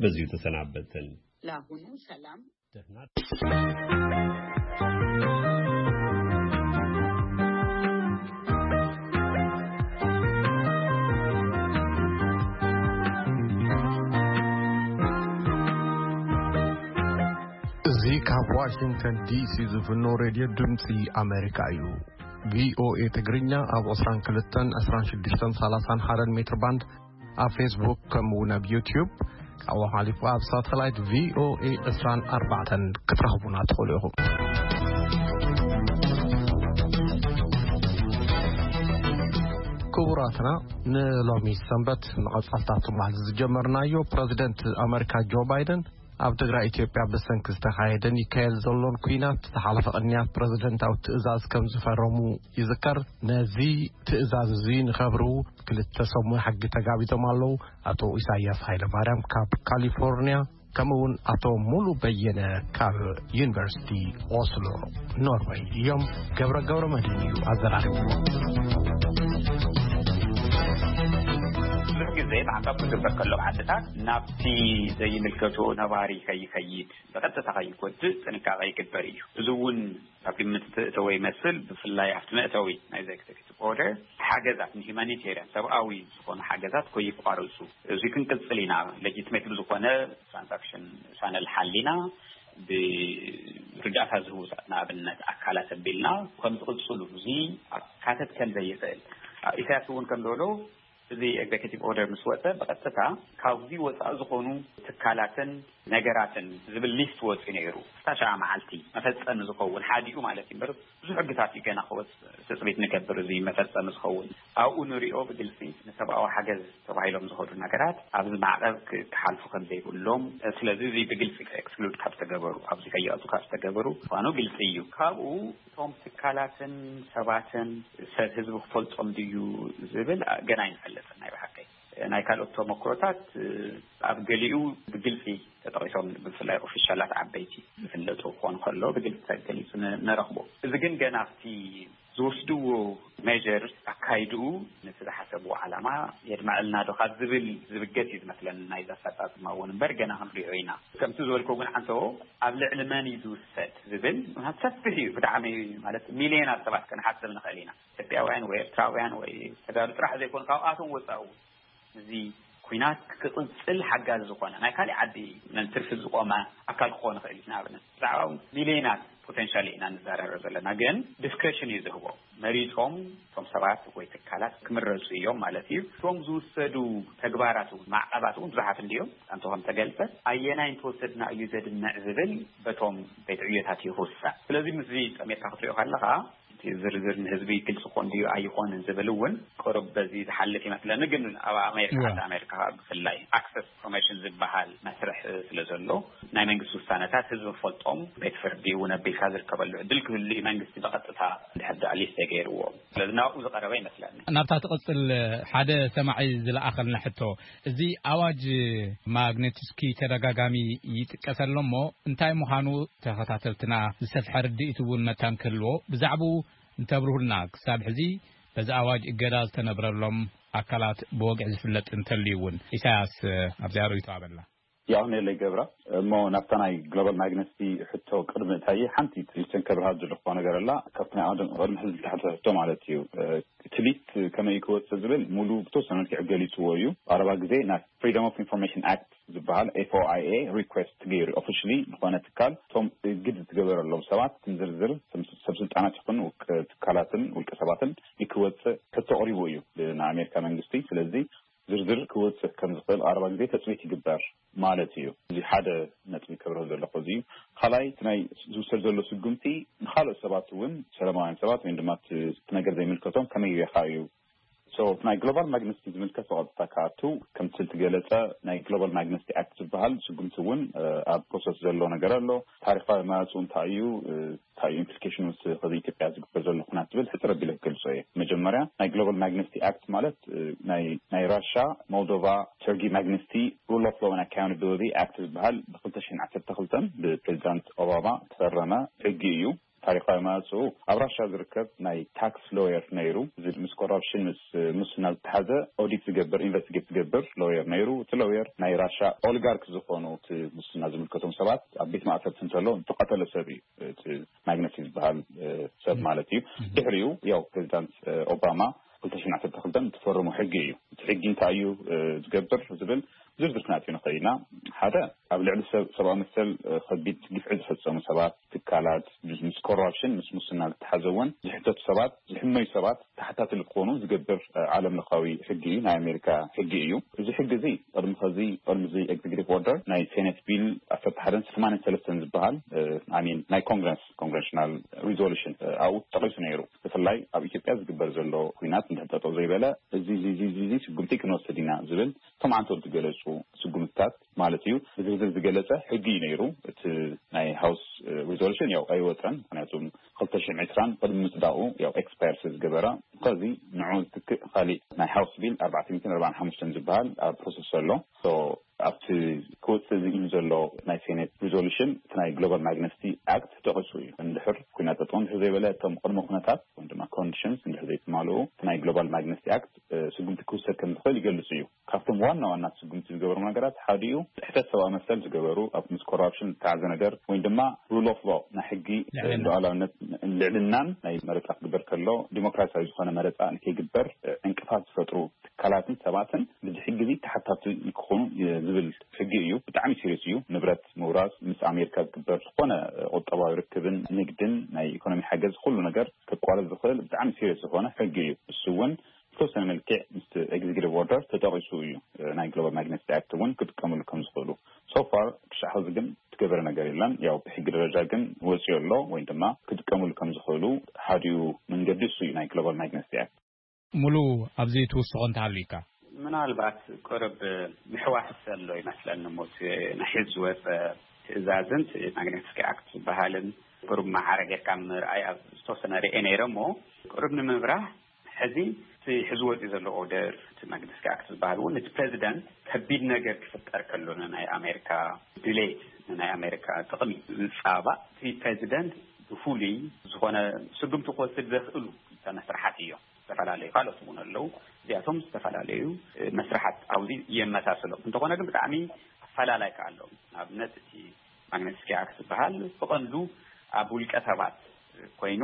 በዚሁ ተሰናበትን። ለአሁኑ ሰላም። ደህና። እዚ ካብ ዋሽንግተን ዲሲ ዝፍኖ ሬድዮ ድምፂ ኣሜሪካ እዩ። ቪኦኤ ትግርኛ ኣብ ዕስራን ክልተን፣ ዕስራን ሽዱሽተን፣ ሰላሳን ሓደን ሜትር ባንድ፣ ኣብ ፌስቡክ፣ ከምኡ እውን ኣብ ዩትዩብ፣ ካብኡ ሓሊፉ ኣብ ሳተላይት ቪኦኤ ዕስራን ኣርባዕተን ክትረኽቡና ትኽእሉ ኢኹም። ክቡራትና፣ ንሎሚ ሰንበት መቐጻልታ ትማል ዝጀመርናዮ፣ ፕረዚደንት ኣመሪካ ጆ ባይደን ኣብ ትግራይ ኢትዮጵያ ብሰንኪ ዝተኻየደን ይካየድ ዘሎን ኲናት ዝሓለፈ ቅንያት ፕረዚደንታዊ ትእዛዝ ከም ዝፈረሙ ይዝከር። ነዚ ትእዛዝ እዚ ንኸብሩ ክልተ ሰብ ሞያ ሕጊ ተጋቢዞም ኣለዉ። ኣቶ ኢሳያስ ሃይለማርያም ካብ ካሊፎርኒያ፣ ከምኡ እውን ኣቶ ሙሉ በየነ ካብ ዩኒቨርሲቲ ኦስሎ ኖርወይ እዮም። ገብረ ገብረ መድህን እዩ ኣዘራሪቡ። ብዙሕ ግዜ ብሓንሳብ ክግበር ከሎ ዓድታት ናብቲ ዘይምልከቶ ነባሪ ከይኸይድ፣ ብቐጥታ ከይጎድእ ጥንቃቐ ይግበር እዩ። እዚ እውን ኣብ ግምት እተወ ይመስል፣ ብፍላይ ኣብቲ መእተዊ ናይ ኤግዜኪቲቭ ኦርደር ሓገዛት ንሂማኒቴርያን ሰብኣዊ ዝኾኑ ሓገዛት ከይቋረፁ፣ እዚ ክንቅፅል ኢና። ሌጂትሜት ብዝኾነ ትራንዛክሽን ቻነል ሓሊና ብርዳእታ ዝህቡ ንኣብነት ኣካላት ኣቢልና ከም ዝቕፅሉ፣ እዚ ካተት ከም ዘይኽእል ኢሳያስ እውን ከም ዝበሎ፣ እዚ ኤግዜኪቲቭ ኦርደር ምስ ወፀ ብቐጥታ ካብዚ ወፃኢ ዝኾኑ ትካላትን ነገራትን ዝብል ሊስት ወፂኡ ነይሩ። ክሳብ ሸዓ መዓልቲ መፈፀሚ ዝኸውን ሓዲኡ ማለት እዩ እምበር፣ ብዙሕ ሕግታት እዩ ገና ክወፅእ ትፅቢት ንገብር። እዚ መፈፀሚ ዝኸውን ኣብኡ ንሪኦ ብግልፂ ንሰብኣዊ ሓገዝ ተባሂሎም ዝኸዱ ነገራት ኣብዚ ማዕቐብ ክ- ክሓልፉ ከም ዘይብሎም፣ ስለዚ እዚ ብግልፂ ኤክስክሉድ ካብ ዝተገበሩ፣ ኣብዚ ከይኣቱ ካብ ዝተገበሩ ምዃኑ ግልፂ እዩ። ካብኡ እቶም ትካላትን ሰባትን ሰብ ህዝቢ ክፈልጦም ድዩ ዝብል ገና ኣይንፈልጥን። ናይ ብሓቀይ ናይ ካልኦት ተመክሮታት ኣብ ገሊኡ ብግልፂ ተጠቒሶም፣ ብፍላይ ኦፊሻላት ዓበይቲ ዝፍለጡ ክኾኑ ከሎ ብግልፂ ተገሊፁ ን- ንረኽቦ። እዚ ግን ገና ኣብቲ ዝወስድዎ ሜጀር ኣካይድኡ ነቲ ዝሓሰብዎ ዓላማ የድመዐልና ዶ ካብ ዝብል ዝብገስ እዩ ዝመስለኒ ናይዚ ኣፈፃፅማ እውን እምበር ገና ክንሪኦ ኢና። ከምቲ ዝበልኮ እውን ዓንተቦ ኣብ ልዕሊ መን እዩ ዝውሰድ ዝብል ምኽንያቱ ሰፊሕ እዩ ብጣዕሚ፣ ማለት ሚልዮናት ሰባት ክንሓስብ ንኽእል ኢና። ኢትዮጵያውያን ወይ ኤርትራውያን ወይ ተጋሩ ጥራሕ ዘይኮኑ ካብኣቶም ወፃኢ እውን እዚ ኩናት ክቕፅል ሓጋዚ ዝኾነ ናይ ካሊእ ዓዲ ነንትርፊ ዝቆመ ኣካል ክኾን ይኽእል እዩ። ንኣብነት ብዛዕባ ሚልዮናት ፖቴንሻል ኢና ንዛረበ ዘለና፣ ግን ዲስክሬሽን እዩ ዝህቦ። መሪፆም እቶም ሰባት ወይ ትካላት ክምረፁ እዮም ማለት እዩ። እቶም ዝውሰዱ ተግባራት እውን ማዕቐባት እውን ብዙሓት እንድዮም። ኣንተ ከም ተገልፀ ኣየናይ እንተወሰድና እዩ ዘድምዕ ዝብል በቶም ቤት ዕዮታት እዩ ክውሰን። ስለዚ ምስዚ ጠሜርካ ክትሪኦ ከለኻ እቲ ዝርዝር ንህዝቢ ግልፂ ኮን ድዩ ኣይኾንን ዝብል እውን ቁሩብ በዚ ዝሓልፍ ይመስለኒ። ግን ኣብ ኣሜሪካ እዋ። ዓዲ ኣሜሪካ ብፍላይ ኣክሰስ ኢንፎርሜሽን ዝበሃል መስርሕ ስለ ዘሎ ናይ መንግስቲ ውሳነታት ህዝቢ ክፈልጦም ቤት ፍርዲ እውን ኣቢልካ ዝርከበሉ ዕድል ክህሉ እዩ። መንግስቲ ብቐጥታ ድሕር ዳኣ ሊስት ገይርዎ ስለዚ ናብኡ ዝቐረበ ይመስለኒ። ናብታ ትቕፅል ሓደ ሰማዒ ዝለኣኸልና ሕቶ፣ እዚ ኣዋጅ ማግኔትስኪ ተደጋጋሚ ይጥቀሰ ኣሎ እሞ እንታይ ምዃኑ ተኸታተልትና ዝሰፍሐ ርድኢት እውን መታን ክህልዎ ብዛዕባኡ እንተብርሁልና። ክሳብ ሕዚ በዚ ኣዋጅ እገዳ ዝተነብረሎም ኣካላት ብወግዒ ዝፍለጥ እንተልዩ እውን። ኢሳያስ ኣብዚኣ ርእይቶ ኣበላ። ያው ነለይ ገብራ እሞ ናብታ ናይ ግሎባል ማግነስቲ ሕቶ ቅድሚ እታይ ሓንቲ ትሪስትን ከብርሃ ዝልኮ ነገር ኣላ። ካብቲ ናይ ኣዋጅ ቅድሚ ሕዚ ዝተሓተ ሕቶ ማለት እዩ። እቲ ሊስት ከመይ ክወፅእ ዝብል ሙሉ ብተወሰነ መልክዕ ገሊፅዎ እዩ። ኣረባ ግዜ ናይ ፍሪደም ኦፍ ኢንፎርሜሽን ኣክት ዝበሃል ኤፍኦኣይኤ ሪኩዌስት ገይሩ ኦፊሽሊ ዝኾነ ትካል እቶም እግድ ዝትገበረሎም ሰባት ዝርዝር ሰብ ስልጣናት ይኹን ውልቀ ትካላትን ውልቀ ሰባትን ንክወፅእ ሕቶ ኣቕሪቡ እዩ ንኣሜሪካ መንግስቲ። ስለዚ ዝርዝር ክወፅእ ከም ዝኽእል ቀረባ ግዜ ተፅቢት ይግበር ማለት እዩ። እዚ ሓደ ነጥቢ ከብርህ ዘለኹ እዚ እዩ። ካልኣይ እቲ ናይ ዝውሰድ ዘሎ ስጉምቲ ንካልኦት ሰባት እውን ሰላማውያን ሰባት ወይ ድማ እቲ ነገር ዘይምልከቶም ከመይ ጌርካ እዩ። So ናይ ግሎባል ማግነስቲ ዝምልከት ብቐጥታ ክኣቱ ከምቲ ዝተገለፀ ናይ ግሎባል ማግነስቲ ኣክት ዝበሃል ስጉምቲ እውን ኣብ ፕሮሰስ ዘሎ ነገር ኣሎ። ታሪካዊ መፅኡ እንታይ እዩ፣ እንታይ ኢምፕሊኬሽን ምስ ከዚ ኢትዮጵያ ዝግበር ዘሎ ኩናት ዝብል ሕፅር ኣቢለ ክገልፆ እየ። መጀመርያ ናይ ግሎባል ማግነስቲ ኣክት ማለት ናይ ናይ ራሻ፣ ሞልዶቫ፣ ሰርጊ ማግነስቲ ሩል ኦፍ ሎው ኣካውንታቢሊቲ ኣክት ዝበሃል ብ ክልተ ሽሕን ዓሰርተ ክልተን ብፕሬዚዳንት ኦባማ ተፈረመ ሕጊ እዩ። ታሪኻዊ መዋፅኡ ኣብ ራሻ ዝርከብ ናይ ታክስ ሎየር ነይሩ። እዚ ምስ ኮራፕሽን፣ ምስ ሙስና ዝተሓዘ ኦዲት ዝገብር፣ ኢንቨስቲጌት ዝገብር ሎየር ነይሩ። እቲ ሎየር ናይ ራሻ ኦሊጋርክ ዝኾኑ እቲ ሙስና ዝምልከቶም ሰባት ኣብ ቤት ማእሰርቲ እንተሎ ዝተቐተለ ሰብ እዩ። እቲ ማግነሲ ዝበሃል ሰብ ማለት እዩ። ድሕሪኡ ያው ፕሬዚዳንት ኦባማ ክልተ ሽሕን ዓሰርተ ክልተን እትፈርሙ ሕጊ እዩ። እቲ ሕጊ እንታይ እዩ ዝገብር ዝብል ዝርዝር ክነእትዮ ንኽእል ኢና። ሓደ፣ ኣብ ልዕሊ ሰብ ሰብኣዊ መሰል ከቢድ ግፍዒ ዝፈጸሙ ሰባት፣ ትካላት፣ ምስ ኮራፕሽን፣ ምስ ሙስና ዝተሓዘ እውን ዝሕተቱ ሰባት፣ ዝሕመዩ ሰባት ተሓታቲ ክኾኑ ዝገብር ዓለም ለኻዊ ሕጊ እዩ፣ ናይ ኣሜሪካ ሕጊ እዩ። እዚ ሕጊ እዚ ቅድሚ ኸዚ፣ ቅድሚ እዚ ኤግዜኪቲቭ ኦርደር ናይ ሴኔት ቢል ዓሰርተ ሓደን ሰማንያን ሰለስተን ዝበሃል፣ ኣሚን፣ ናይ ኮንግረስ፣ ኮንግረሽናል ሪዞሉሽን ኣብኡ ተጠቒሱ ነይሩ። ብፍላይ ኣብ ኢትዮጵያ ዝግበር ዘሎ ኩናት እንድሕር ጠጠው ዘይበለ፣ እዚ እዚ እዚ እዚ ስጉምቲ ክንወስድ ኢና ዝብል እቶም ዓንተው ዝገለጹ ስጉምትታት ማለት እዩ፣ ብዝርዝር ዝገለጸ ሕጊ እዩ ነይሩ። እቲ ናይ ሃውስ ሪዞሉሽን ያው ኣይወፀን፣ ምክንያቱ ክልተ ሽሕን ዕስራን ቅድሚ ምፅዳቑ ያው ኤክስፓየር ስለ ዝገበረ። ከዚ ንዑ ዝትክእ ካሊእ ናይ ሃውስ ቢል ኣርባዕተ ሚእትን ኣርባዓን ሓሙሽተን ዝበሃል ኣብ ፕሮሰስ ዘሎ። ኣብቲ ክወፅእ ዝኢሉ ዘሎ ናይ ሴኔት ሪዞሉሽን እቲ ናይ ግሎባል ማግነስቲ ኣክት ተጠቂሱ እዩ። እንድሕር ኩናት ጠጠው እንድሕር ዘይበለ፣ እቶም ቅድመ ኩነታት ወይ ድማ ኮንዲሽንስ እንድሕር ዘይተማልኡ፣ እቲ ናይ ግሎባል ማግነስቲ ኣክት ስጉምቲ ክውሰድ ከም ዝኽእል ይገልጽ እዩ። ካብቶም ዋና ዋና ስጉምቲ ዝገበሩ ነገራት ሓዲኡ፣ ጥሕሰት ሰብኣዊ መሰል ዝገበሩ፣ ኣብ ምስ ኮራፕሽን ዝተሓዘ ነገር ወይ ድማ ሩል ኦፍ ሎ፣ ናይ ሕጊ ልዕልናን ናይ መረፃ ክግበር ከሎ ዲሞክራሲያዊ ዝኾነ መረፃ ንከይግበር ዕንቅፋት ዝፈጥሩ ትካላትን ሰባትን ብዚ ሕጊ እዚ ተሓታቲ ክኾኑ ዝብል ሕጊ እዩ። ብጣዕሚ ሲሪየስ እዩ። ንብረት ምውራስ፣ ምስ ኣሜሪካ ዝግበር ዝኾነ ቁጠባዊ ርክብን ንግድን ናይ ኢኮኖሚ ሓገዝ፣ ኩሉ ነገር ከቋርፅ ዝኽእል ብጣዕሚ ሲሪየስ ዝኾነ ሕጊ እዩ። እሱ እውን ብተወሰነ መልክዕ ምስ ኤግዜኪቲቭ ኦርደር ተጠቂሱ እዩ። ናይ ግሎባል ማግነስቲ ኣክት እውን ክጥቀምሉ ከም ዝኽእሉ። ሶፋር ክሻዕ ሕዚ ግን ትገበረ ነገር የለን። ያው ብሕጊ ደረጃ ግን ወፂኡ ኣሎ ወይ ድማ ክጥቀምሉ ከም ዝኽእሉ ሓዲኡ መንገዲ እሱ እዩ፣ ናይ ግሎባል ማግነስቲ ኣክት። ሙሉ ኣብዚ ትውስኾ እንተሃልዩካ? ምናልባት ቅርብ ምሕዋስ ዘሎ ይመስለኒ ሞት ናይ ሕዚ ዝወፀ ትእዛዝን ማግነስቲ ኣክት ዝበሃልን ቅሩብ ማዕረ ጌርካ ምርኣይ ኣብ ዝተወሰነ ርኤ ነይረ እሞ ቅሩብ ንምብራህ ሕዚ እቲ ሕዚ ወፂኡ ዘሎ ኦርደር እቲ ማግነስቲ ኣክት ዝበሃል እውን እቲ ፕሬዚደንት ከቢድ ነገር ክፍጠር ከሎ ናይ ኣሜሪካ ድሌት ናይ ኣሜሪካ ጥቕሚ ዝፃባእ እቲ ፕሬዚደንት ብፍሉይ ዝኾነ ስጉምቲ ክወስድ ዘኽእሉ መስርሓት እዮም። ዝተፈላለዩ ካልኦት እውን ኣለዉ። እዚኣቶም ዝተፈላለዩ መስርሓት ኣብዚ የመሳስሎም እንተኾነ ግን ብጣዕሚ ኣፈላላይ ከ ኣለዎም። ንኣብነት እቲ ማግነስኪ ኣክት ዝበሃል ብቐንዱ ኣብ ውልቀ ሰባት ኮይኑ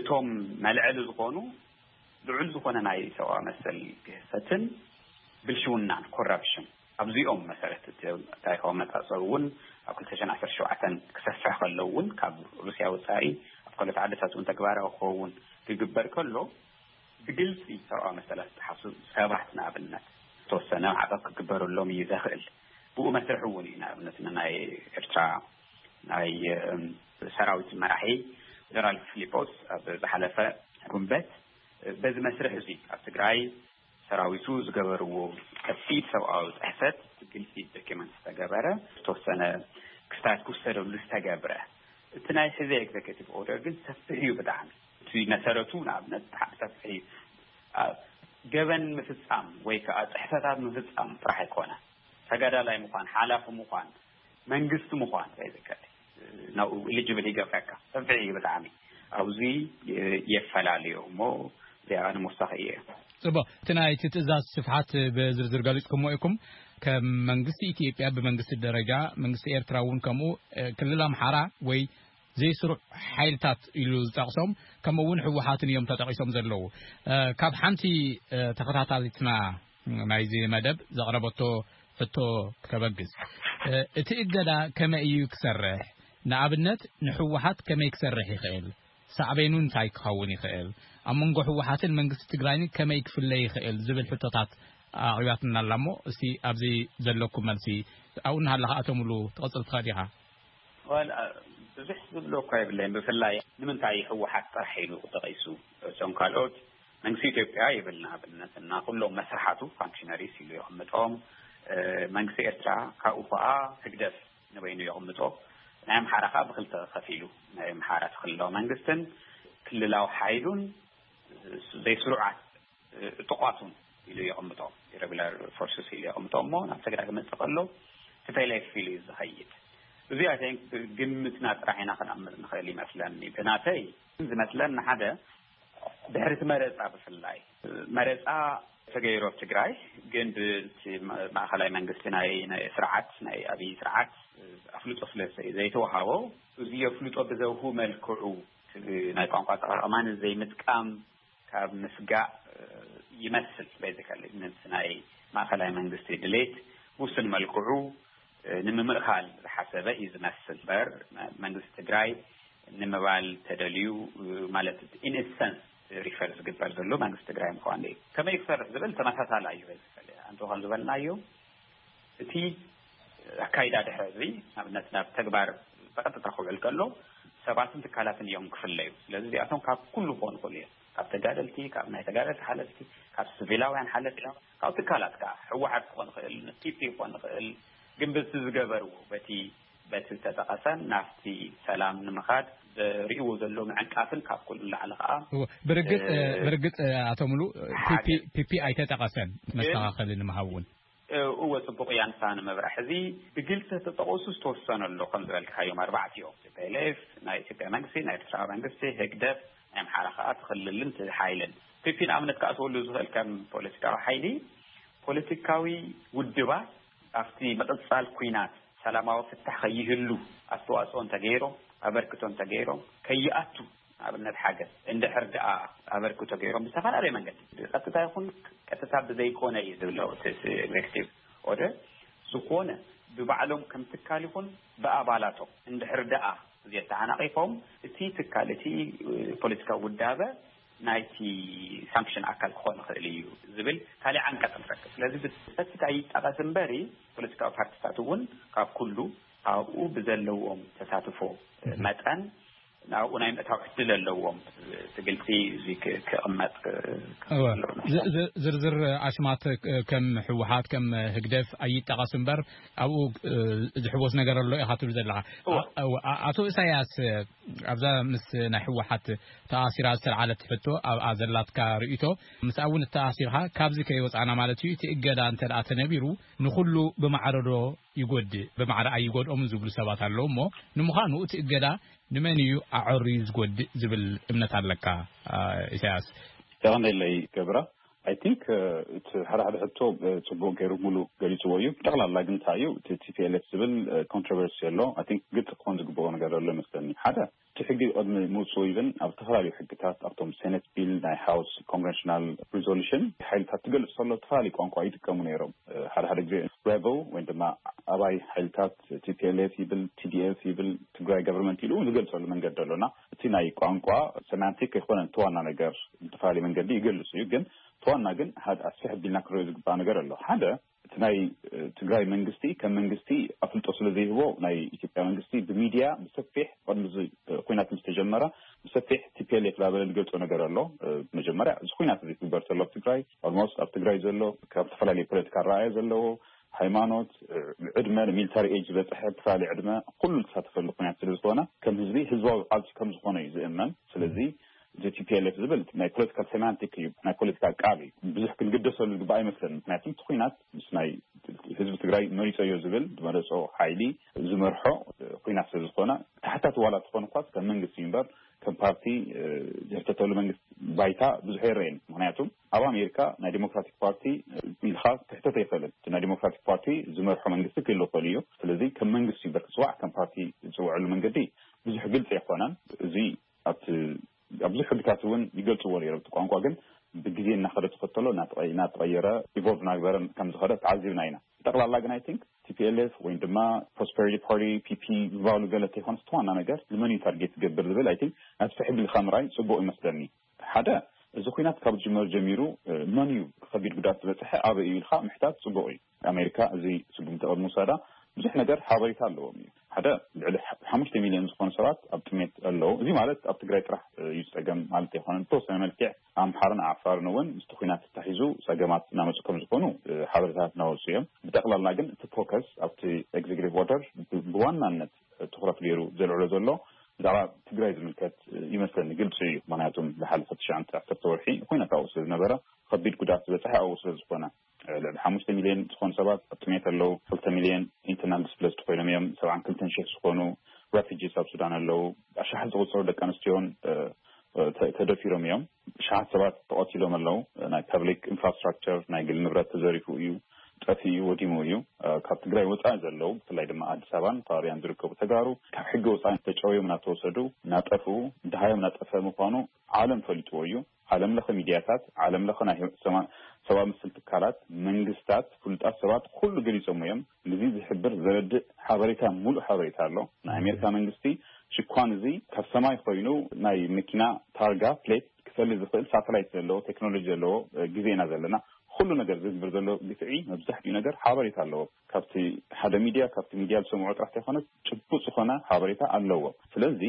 እቶም መልዐሊ ዝኾኑ ልዑል ዝኾነ ናይ ሰብኣዊ መሰል ግህሰትን ብልሽውናን ኮራፕሽን ኣብዚኦም መሰረት እቲ ታሪኻዊ መጻጸዊ እውን ኣብ ክልተ ሽሕን ዓሰርተ ሸውዓተን ክሰፍሕ ከሎ እውን ካብ ሩስያ ወጻኢ ኣብ ካልኦት ዓድታት እውን ተግባራዊ ክኸውን ክግበር ከሎ ብግልፂ ሰብኣዊ መሰላት ዝጠሓሱ ሰባት ንኣብነት ዝተወሰነ ማዕቀብ ክግበረሎም እዩ ዘኽእል። ብኡ መስርሕ እውን እዩ ንኣብነት ንናይ ኤርትራ ናይ ሰራዊት መራሒ ጀነራል ፊሊፖስ ኣብ ዝሓለፈ ጉንበት በዚ መስርሕ እዚ ኣብ ትግራይ ሰራዊቱ ዝገበርዎ ከቢድ ሰብኣዊ ጥሕሰት ግልፂ ዶኪመንት ዝተገበረ ዝተወሰነ ክስታት ክውሰደሉ ዝተገብረ እቲ ናይ ሕዚ ኤግዜኪቲቭ ኦርደር ግን ሰፊሕ እዩ ብጣዕሚ። እቲ መሰረቱ ንኣብነት ብሓቂ ሰፊሕ እዩ። ገበን ምፍፃም ወይ ከዓ ጥሕሰታት ምፍፃም ጥራሕ ኣይኮነ ተጋዳላይ ምኳን ሓላፊ ምኳን መንግስቲ ምኳን ከይዝከር ናብኡ ኢሊጅብል ይገብረካ ሰፊሕ እዩ ብጣዕሚ ኣብዚ የፈላለዮ እሞ እዚኣ ንምውሳኽ እየ። ፅቡቅ። እቲ ናይ እቲ ትእዛዝ ስፍሓት ብዝርዝር ገሊፅኩሞ ኢኩም። ከም መንግስቲ ኢትዮጵያ ብመንግስቲ ደረጃ መንግስቲ ኤርትራ እውን ከምኡ ክልል ኣምሓራ ወይ ዘይስሩዕ ሓይልታት ኢሉ ዝጠቕሶም ከምኡ እውን ህወሓትን እዮም ተጠቒሶም ዘለዉ። ካብ ሓንቲ ተኸታታሊትና ናይዚ መደብ ዘቕረበቶ ሕቶ ከበግስ፣ እቲ እገዳ ከመይ እዩ ክሰርሕ? ንኣብነት ንህወሓት ከመይ ክሰርሕ ይኽእል? ሳዕቤኑ እንታይ ክኸውን ይኽእል? ኣብ መንጎ ህወሓትን መንግስቲ ትግራይን ከመይ ክፍለ ይኽእል ዝብል ሕቶታት ኣቕሪባትና ኣላ እሞ እስቲ ኣብዚ ዘለኩም መልሲ ኣብኡ እናሃለኻ ኣቶ ሙሉ ትቐፅል ትኽእል ኢኻ። ብዙሕ ዝብሎ እኳ የብለይን። ብፍላይ ንምንታይ ህወሓት ጥራሕ ኢሉ ተቐይሱ? እቶም ካልኦት መንግስቲ ኢትዮጵያ ይብል ንኣብነት እና ኩሎም መስርሓቱ ፋንክሽነሪስ ኢሉ የቕምጦም። መንግስቲ ኤርትራ ካብኡ ከዓ ህግደፍ ንበይኑ የቕምጦ። ናይ ኣምሓራ ከዓ ብክልተ ከፊሉ ናይ ኣምሓራ እቲ ክልላዊ መንግስትን ክልላዊ ሓይሉን ዘይስሩዓት እጡቋቱን ኢሉ የቕምጦ። ኢረጉላር ፎርስስ ኢሉ የቕምጦ እሞ ናብ ትግራይ ክመፅእ ከሎ ቲፒኤልኤፍ ኢሉ እዩ ዝኸይድ። እዚ ኣይ ቲንክ ግምትና ጥራሕ ኢና ክነምር ንኽእል ይመስለኒ። ብናተይ ዝመስለኒ ሓደ ድሕሪ እቲ መረፃ ብፍላይ መረፃ ተገይሩ ኣብ ትግራይ ግን ብቲ ማእኸላይ መንግስቲ ናይ ናይ ስርዓት ናይ ኣብይ ስርዓት ኣፍልጦ ስለ ዘይተዋሃቦ እዚ ኣፍልጦ ብዘውሁ መልክዑ ናይ ቋንቋ ኣጠቃቅማን ዘይምጥቃም ካብ ምስጋእ ይመስል። ቤዚካሊ ነቲ ናይ ማእኸላይ መንግስቲ ድሌት ውሱን መልክዑ ንምምእኻል ዝሓሰበ እዩ ዝመስል በር መንግስቲ ትግራይ ንምባል ተደልዩ ማለት ኢንሰንስ ሪፈር ዝግበር ዘሎ መንግስቲ ትግራይ ምኳን እዩ። ከመይ ክሰርሕ ዝብል ተመሳሳላ እዩ። ቤዚካሊ ኣንተ ከም ዝበልናዮ እቲ ኣካይዳ ድሕሪ እዚ ንኣብነት ናብ ተግባር ብቐጥታ ክውዕል ከሎ ሰባትን ትካላትን እዮም ክፍለዩ። ስለዚ እዚኣቶም ካብ ኩሉ ክኾኑ ይኽእሉ እዮም። ካብ ተጋደልቲ፣ ካብ ናይ ተጋደልቲ ሓለፍቲ፣ ካብ ስቪላውያን ሓለፍቲ፣ ካብ ትካላት ከዓ ህወሓት ክኾን ይኽእል፣ ፒፒ ክኾን ይኽእል። ግን በቲ ዝገበርዎ በቲ በቲ ዝተጠቐሰን ናብቲ ሰላም ንምኻድ ዝርእዎ ዘሎ ምዕንቃፍን ካብ ኩሉ ንላዕሊ ከዓ እወ፣ ብርግጽ እ፣ ብርግጽ ኣቶ ሙሉ ፒፒ ሓደ ፒፒ ኣይተጠቐሰን። ግን መስተኻኸሊ ንምሃብ እውን እወ፣ ጽቡቕ እያ። ንሳ ንምብራሕ እዚ ብግልጺ ተጠቐሱ ዝተወሰነ ኣሎ። ከም ዝበልካዮም ኣርባዕቲኦም ቲፒኤልኤፍ፣ ናይ ኢትዮጵያ መንግስቲ፣ ናይ ኤርትራ መንግስቲ፣ ህግደፍ፣ ናይ ኣምሓራ ከዓ ትኽልልን ትሓይልን። ፒፒ ንኣብነት ከዓ ተወሉ ዝኽእል ከም ፖለቲካዊ ሓይሊ ፖለቲካዊ ውድባት ኣብቲ ምቕጻል ኩናት ሰላማዊ ፍታሕ ከይህሉ ኣስተዋጽኦ እንተገይሮም ኣበርክቶ እንተገይሮም ከይኣቱ ኣብነት ሓገዝ እንድሕር ደኣ ኣበርክቶ ገይሮም ብዝተፈላለየ መንገዲ ብቀጥታ ይኹን ቀጥታ ብዘይኮነ እዩ ዝብለው እቲ ኤግዜክቲቭ ኦርደር ዝኾነ ብባዕሎም ከም ትካል ይኹን ብኣባላቶም እንድሕር ደኣ እዚኣ ተዓናቒፎም እቲ ትካል እቲ ፖለቲካዊ ውዳበ ናይቲ ሳንክሽን ኣካል ክኾን ይኽእል እዩ ዝብል ካልእ ዓንቀጽ ንረክብ። ስለዚ ብሰፊት ኣይጠቐስ እምበሪ ፖለቲካዊ ፓርቲታት እውን ካብ ኩሉ ኣብኡ ብዘለዎም ተሳትፎ መጠን ናብኡ ናይ ምእታው ዕድል ኣለዎም። እቲ ግልፂ እዚ ክቕመጥ ዝርዝር ኣስማት ከም ህወሓት ከም ህግደፍ ኣይጠቐስ እምበር ኣብኡ ዝሕወስ ነገር ኣሎ ኢኻ ትብል ዘለኻ። ኣቶ ኢሳያስ ኣብዛ ምስ ናይ ህወሓት ተኣሲራ ዝተልዓለት ሕቶ ኣብኣ ዘላትካ ርእይቶ ምስኣ እውን እተኣሲርካ ካብዚ ከይወፃና ማለት እዩ። እቲ እገዳ እንተ ደኣ ተነቢሩ ንኹሉ ብማዕረዶ ይጎድእ ብማዕረ ኣይጎድኦምን ዝብሉ ሰባት ኣለዉ እሞ ንምዃኑ እቲ እገዳ ንመን እዩ ኣዐርዩ ዝጎድእ ዝብል እምነት ኣለካ? ኢሳያስ። የቐንደለይ ገብራ። ኣይ ቲንክ እቲ ሓደ ሓደ ሕቶ ፅቡቅ ገይሩ ሙሉ ገሊፅዎ እዩ። ብጠቕላላ ግን እንታይ እዩ እቲ ቲፒኤልኤፍ ዝብል ኮንትሮቨርሲ ኣሎ። ኣይ ቲንክ ግልፂ ክኾን ዝግበኦ ነገር ኣሎ ይመስለኒ። ሓደ እቲ ሕጊ ቅድሚ ምውፅኡ ኢቨን ኣብ ዝተፈላለዩ ሕግታት ኣብቶም ሴኔት ቢል ናይ ሃውስ ኮንቨንሽናል ሪዞሉሽን ሓይልታት ትገልፅ ከሎ ዝተፈላለዩ ቋንቋ ይጥቀሙ ነይሮም። ሓደ ሓደ ግዜ ሬበል ወይ ድማ ኣባይ ሓይልታት ቲፒኤልኤፍ ይብል ቲዲኤፍ ይብል ትግራይ ገቨርንመንት ኢሉ እውን ዝገልፀሉ መንገዲ ኣሎና። እቲ ናይ ቋንቋ ሰማንቲክ ኣይኮነን እቲ ዋና ነገር። ብዝተፈላለየ መንገዲ ይገልፅ እዩ ግን እቲ ዋና ግን ሓደ ኣስፍሕ ኣቢልና ክንሪኦ ዝግባእ ነገር ኣሎ። ሓደ እቲ ናይ ትግራይ መንግስቲ ከም መንግስቲ ኣፍልጦ ስለ ዘይህቦ ናይ ኢትዮጵያ መንግስቲ ብሚድያ ብሰፊሕ ቅድሚ እዚ ኩናት ምስ ተጀመረ ብሰፊሕ ቲፒኤልኤፍ ላበለ ዝገልፆ ነገር ኣሎ። መጀመርያ እዚ ኩናት እዚ ክግበር ተሎ ኣብ ትግራይ ኦልሞስት ኣብ ትግራይ ዘሎ ካብ ዝተፈላለዩ ፖለቲካ ኣረኣእያ ዘለዎ ሃይማኖት ዕድመ ሚሊታሪ ኤጅ ዝበፅሐ ዝተፈላለየ ዕድመ ኩሉ ዝተሳተፈሉ ኩናት ስለ ዝኾነ ከም ህዝቢ ህዝባዊ ቃልሲ ከም ዝኾነ እዩ ዝእመን። ስለዚ እዚ ቲፒኤልኤፍ ዝብል ናይ ፖለቲካል ሴማንቲክ እዩ፣ ናይ ፖለቲካ ቃል እዩ። ብዙሕ ክንግደሰሉ ዝግባእ ኣይመስለኒ። ምክንያቱ እቲ ኩናት ምስ ናይ ህዝቢ ትግራይ መሪፀዮ ዝብል ዝመረፆ ሓይሊ ዝመርሖ ኩናት ስለ ዝኾነ ተሓታቲ ዋላ ትኾን እኳ ከም መንግስቲ እዩ እምበር ከም ፓርቲ ዝሕተተሉ መንግስቲ ባይታ ብዙሕ ይረየን። ምክንያቱ ኣብ ኣሜሪካ ናይ ዲሞክራቲክ ፓርቲ ኢልካ ክሕተት ኣይኽእልን። እቲ ናይ ዲሞክራቲክ ፓርቲ ዝመርሖ መንግስቲ ክህሉ ይኽእል እዩ። ስለዚ ከም መንግስቲ እዩ እምበር ክፅዋዕ ከም ፓርቲ ዝፅውዐሉ መንገዲ ብዙሕ ግልፂ ኣይኮነን። እዚ ኣብቲ ኣብ ብዙሕ ሕግታት እውን ይገልፅዎ ነይሮም። እቲ ቋንቋ ግን ብግዜ እናኸደ ተኸተሎ እናተቐየረ ኢቮልቭ እናግበረ ከም ዝኸደ ተዓዚብና ኢና። ብጠቕላላ ግን ኣይ ቲንክ ቲፒኤልኤፍ ወይ ድማ ፕሮስፐሪቲ ፓርቲ ፒፒ ዝበሃሉ ገለ ተይኮነስ እቲ ዋና ነገር ንመን እዩ ታርጌት ዝገብር ዝብል ኣይ ቲንክ ናብቲ ሕጊ ኢልካ ምርኣይ ፅቡቕ ይመስለኒ። ሓደ እዚ ኩናት ካብ ዝጅመር ጀሚሩ መን እዩ ከቢድ ጉድኣት ዝበፅሐ ኣበይ እዩ ኢልካ ምሕታት ፅቡቕ እዩ። ኣሜሪካ እዚ ስጉምቲ ቅድሚ ውሳዳ ብዙሕ ነገር ሓበሬታ ኣለዎም እዩ። ሓደ ልዕሊ ሓሙሽተ ሚልዮን ዝኾኑ ሰባት ኣብ ጥሜት ኣለዉ። እዚ ማለት ኣብ ትግራይ ጥራሕ እዩ ዝፀገም ማለት ኣይኮነን። ብተወሰነ መልክዕ ኣምሓርን ዓፋርን እውን ምስቲ ኩናት ተታሒዙ ፀገማት እናመፁ ከም ዝኾኑ ሓበሬታታት እናወፁ እዮም። ብጠቕላላ ግን እቲ ፎከስ ኣብቲ ኤግዜኪቲቭ ኦርደር ብዋናነት ትኩረት ገይሩ ዘልዕሎ ዘሎ ብዛዕባ ትግራይ ዝምልከት ይመስለኒ ግልፂ እዩ። ምክንያቱም ዝሓለፈ ትሽዓተ ዓሰርተ ወርሒ ኩናት ኣብኡ ስለ ዝነበረ ከቢድ ጉድኣት ዝበፅሐ ኣብኡ ስለ ዝኾነ ልዕሊ ሓሙሽተ ሚልዮን ዝኾኑ ሰባት ኣብ ጥሜት ኣለዉ። ክልተ ሚልዮን ኢንተርናል ዲስፕሌስድ ኮይኖም እዮም። ሰብዓን ክልተን ሽሕ ዝኾኑ ሬፊጂስ ኣብ ሱዳን ኣለዉ። ኣሽሓት ዝቑጸሩ ደቂ ኣንስትዮን እ፣ እ፣ ተ- ተደፊሮም እዮም። ኣሽሓት ሰባት ተቐቲሎም ኣለዉ። ናይ ፐብሊክ ኢንፍራስትራክቸር፣ ናይ ግል ንብረት ተዘሪፉ እዩ፣ ጠፊኡ እዩ፣ ወዲሙ እዩ። እ፣ ካብ ትግራይ ወፃኢ ዘለዉ፣ ብፍላይ ድማ ኣዲስ ኣበባን ከባቢያን ዝርከቡ ተጋሩ ካብ ሕጊ ወፃኢ ተጨውዮም እናተወሰዱ፣ እናጠፍኡ፣ ድሃዮም እናጠፈ ምዃኑ ዓለም ፈሊጥዎ እዩ። ዓለም ለኸ ሚድያታት፣ ዓለም ለኸ ናይ ሰማ- ሰብኣዊ መሰል ትካላት፣ መንግስታት፣ ፍሉጣት ሰባት ኩሉ ገሊጾም እዮም። ንዚ ዝሕብር ዘረድእ ሓበሬታ፣ ሙሉእ ሓበሬታ ኣሎ። ናይ ኣሜሪካ መንግስቲ ሽኳን እዚ ካብ ሰማይ ኮይኑ ናይ መኪና ታርጋ ፕሌት ክፈሊ ዝኽእል ሳተላይት ዘለዎ ቴክኖሎጂ ዘለዎ እ፣ ግዜ ኢና ዘለና። ኩሉ ነገር ዝግብር ዘሎ ግፍዒ መብዛሕትኡ ነገር ሓበሬታ ኣለዎ። ካብቲ ሓደ ሚድያ፣ ካብቲ ሚድያ ዝሰምዖ ጥራሕ ዘይኮነስ ጭቡጥ ዝኾነ ሓበሬታ ኣለዎ። ስለዚ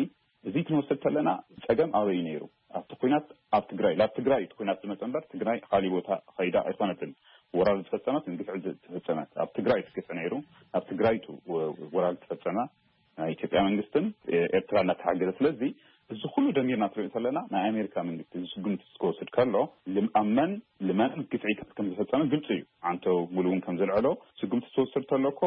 እዚ ክንወስድ ከለና ጸገም ኣበይ እዩ ነይሩ? ኣብቲ ኩናት ኣብ ትግራይ፣ ላብ ትግራይ እቲ ኩናት ዝመጸ እምበር ትግራይ ካሊእ ቦታ ኸይዳ ኣይኮነትን። ወራር ዝፈጸመት፣ ግፍዒ ዝፈጸመት ኣብ ትግራይ እቲ ግፍዒ ነይሩ። ኣብ ትግራይ ቱ ወራር ዝተፈጸመ ናይ ኢትዮጵያ መንግስትን ኤርትራ እናተሓገዘ። ስለዚ እዚ ኩሉ ደሚርና ትሪኦ ከለና ናይ ኣሜሪካ መንግስቲ እዚ ስጉምቲ ክወስድ ከሎ ልም- ኣብ መን ልመን ግፍዒታት ከም ዝፈጸመ ግልፂ እዩ። ኣንቶ ሙሉ እውን ከም ዘልዐሎ ስጉምቲ ትወስድ ተሎ እኮ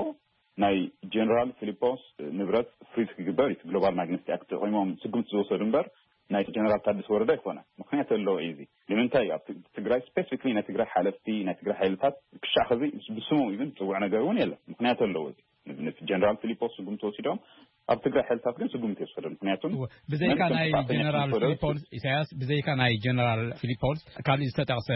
ናይ ጀነራል ፊሊፖስ ንብረት ፍሪዝ ክግበር እዩ። ግሎባል ማግነስቲ ኣክት ተጠቂሞም ስጉምቲ ዝወሰዱ እምበር ናይ ጀነራል ታደሰ ወረደ ኣይኮነ። ምክንያት ኣለዎ እዩ። እዚ ንምንታይ ኣብ ት- ትግራይ ስፔሲፊክሊ ናይ ትግራይ ሓለፍቲ ናይ ትግራይ ሓይልታት ክሻዕ ኸዚ ብስሞም ኢቭን ዝፅውዕ ነገር እውን የለን። ምክንያት ኣለዎ። እዚ ንኣብነት ጀነራል ፊሊፖስ ስጉምቲ ወሲዶም ኣብ ትግራይ ሓይልታት ግን ስጉምቲ የወሰደ። ምክንያቱም እወ፣ ብዘይካ መን ከም ናይ ጥፋተኛ ጀነራል ከም ዝፈረዱ ፊሊፖስ ኢሳያስ፣ ብዘይካ ናይ ጀነራል ፊሊፖስ ካልእ ዝተጠቕሰ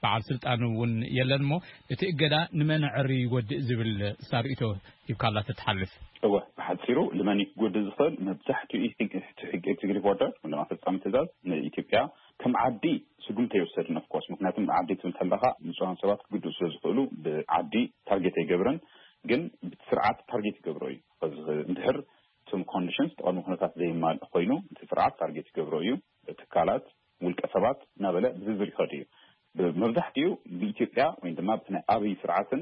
በዓል ስልጣን እውን የለን እሞ እቲ እገዳ ንመን ዕሪ ይጎድእ ዝብል ሳርእቶ ሂብካላ ተትሓልፍ። እወ፣ ብሓፂሩ ንመን ክጎድእ ዝኽእል መብዛሕትኡ እቲ ሕግ- እቲ ሕግ ኤግዜኪቲቭ ኦርደር ወይ ድማ ፈፃሚ ትእዛዝ ንኢትዮጵያ ከም ዓዲ ስጉምቲ ኣይወሰድን። ኦፍኮርስ ምክንያቱም ዓዲ ትብል ከለካ ንፁሃን ሰባት ክግድኡ ስለ ዝኽእሉ ብዓዲ ታርጌት ኣይገብርን። ግን ብቲ ስርዓት ታርጌት ይገብሮ እዩ። ከዚ እንድሕር እቶም ኮንዲሽንስ እቲ ቅድመ ኩነታት ዘይማልእ ኮይኑ እቲ ስርዓት ታርጌት ይገብሮ እዩ። ትካላት፣ ውልቀ ሰባት እናበለ ብዝርዝር ይኸዱ እዩ። መብዛሕትኡ ብኢትዮጵያ ወይ ድማ ብናይ ኣብይ ስርዓትን